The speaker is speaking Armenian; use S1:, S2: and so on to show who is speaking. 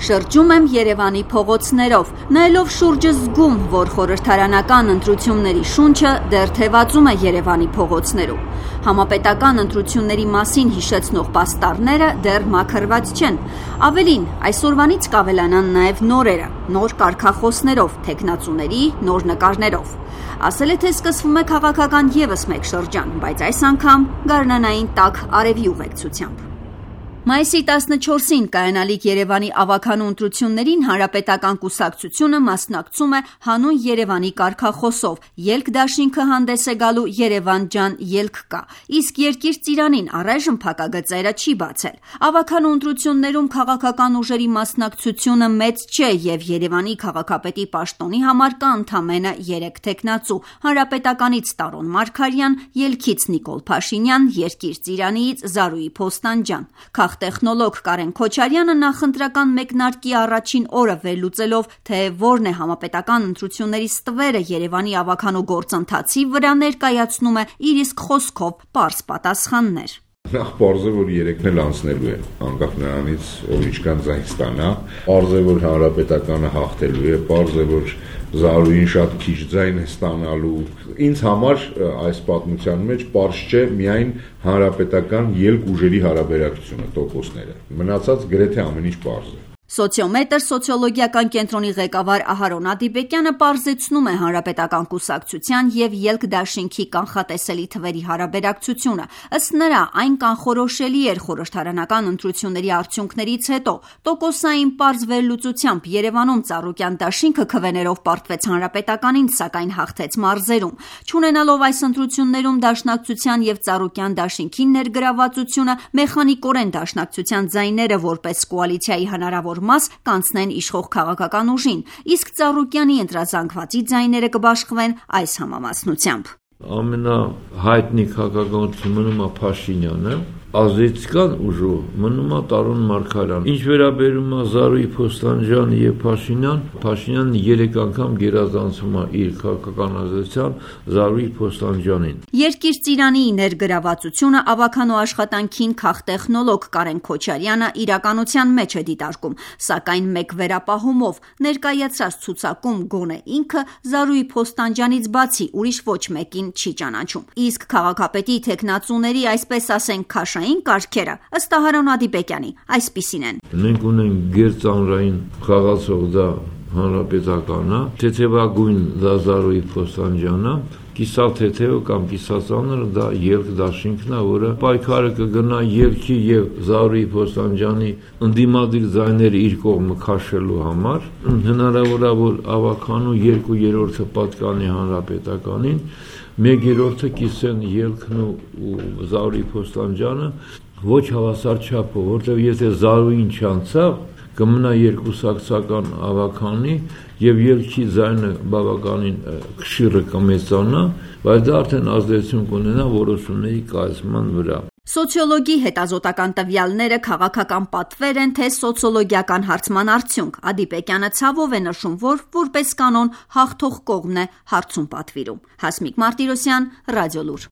S1: Շրջում եմ Երևանի փողոցներով, նայելով շուրջը զգում, որ խորհրդարանական ընտրությունների շունչը դեռ թևածում է Երևանի փողոցներում։ Համապետական ընտրությունների մասին հիշեցնող պաստառները դեռ մաքրված չեն։ Ավելին, այսօրվանից կավելանան նաև նորերը, նոր կարգախոսներով, թեկնածուների նոր նկարներով։ Ասել է, թե սկսվում է քաղաքական ևս մեկ շրջան, բայց այս անգամ գարնանային տաք արևի ուղեկցությամբ։ Մայիսի 14-ին կայանալիք Երևանի ավագանու ընտրություններին Հանրապետական կուսակցությունը մասնակցում է հանուն Երևանի կարգախոսով, ելք դաշինքը հանդես է գալու Երևան ջան ելք կա, իսկ Երկիր ծիրանին առայժմ փակագծերը չի բացել։ Ավագանու ընտրություններում քաղաքական ուժերի մասնակցությունը մեծ չէ եւ Երևանի քաղաքապետի պաշտոնի համար կա ընդամենը 3 թեկնածու՝ Հանրապետականից Տարոն Մարգարյան, ելքից Նիկոլ Փաշինյան, Երկիր ծիրանիից Զարուհի Փոստանջյան։ Տեխնոլոգ Կարեն Քոչարյանը նախընտրական մեկնարկի առաջին օրը վերլուծելով, թե որն է համապետական ընտրությունների ստվերը Երևանի ավագանու գործընթացի վրա ներկայացնում է իր իսկ խոսքով պարզ պատասխաններ։
S2: Նախ պարզ է, որ երեքն էլ անցնելու է, անկախ նրանից, ով ինչքան ձայն ստանա, պարզ է, որ Հանրապետականը հաղթելու է, պարզ է, որ Զարուհին շատ քիչ ձայն է ստանալու։ Ինձ համար այս պատմության մեջ պարզ չէ միայն Հանրապետական ելք ուժերի հարաբերակցությունը, տոկոսները։ Մնացած գրեթե ամեն ինչ պարզ է։
S1: Սոցիոմետր սոցիոլոգիական կենտրոնի ղեկավար Ահարոն Ադիբեկյանը պարզեցնում է Հանրապետական կուսակցության եւ ելք դաշինքի կանխատեսելի թվերի հարաբերակցությունը։ Ըստ նրա, այն կանխորոշելի էր խորհրդարանական ընտրությունների արդյունքներից հետո։ Տոկոսային պարզ վերլուծությամբ Երևանում Ծառուկյան դաշինքը քվեներով պարտվեց Հանրապետականին, սակայն հաղթեց մարզերում։ Չունենալով այս ընտրություններում դաշնակցության եւ Ծառուկյան դաշինքի ներգրավվածությունը, մեխանիկորեն դաշնակցության ձայները որպես կոալիցիայի հնարավոր մաս կանցնեն իշխող քաղաքական ուժին, իսկ Ծառուկյանի ընտրազանգվածի ձայները կբաշխվեն այս համամասնությամբ։
S3: Ամենահայտնի քաղաքականություն մնում է Փաշինյանը, ազդեցական ուժով մնում է Տարոն Մարգարյան։ Ինչ վերաբերում է Զարուհի Փոստանջյան եւ Փաշինյանը 3 անգամ գերազանցում է իր քաղաքական ազդեցության Զարուհի Փոստանջյանին։
S1: Երկիր ծիրանի ներգրավվածությունը ավագանու աշխատանքին քաղտեխնոլոգ Կարեն Քոչարյանը իրականության մեջ է դիտարկում, սակայն մեկ վերապահումով ներկայացրած ցուցակում գոնե ինքը Զարուհի Փոստանջյանից բացի ուրիշ ոչ մեկին չի ճանաչում։ Իսկ քաղաքապետի թեկնածուների, այսպես ասենք, քաշային կարգերը ըստ Ահարոն Ադիբեկյանի այսպիսին են։
S3: Մենք ունենք գերծանրային խաղացող դա Հանրապետականը, թեթևագույն դա Զարուհի Փոստանջյանը, կիսաթեթևը կամ կիսածանրը դա ելք դաշինքն է, որը պայքարը կգնա ելքի եւ Զարուհի Փոստանջյանի ընդդիմադիր ձայները իր կողմը քաշելու համար։ Հնարավոր է, որ ավագանու 2/3-ը պատկանի Հանրապետականին, 1/3-ը կիսեն ելքն ու Զարուհի Փոստանջյանը ոչ հավասար չափով, որտեղ եթե Զարուհին չանցավ, կմնա երկուսակցական ավագանի եւ ելքի ձայնը բավականին քշիրը կմեծանա, բայց դա արդեն ազդեցություն կունենա որոշումների կայացման վրա։
S1: Սոցիոլոգի հետազոտական տվյալները քաղաքական պատվեր են, թե սոցիոլոգիական հարցման արդյունք։ Ադիբեկյանը ցավով է նշում, որ որպես կանոն հաղթող կողմն է հարցում պատվիրում։ Հասմիկ Մարտիրոսյան, Ռադիոլուր։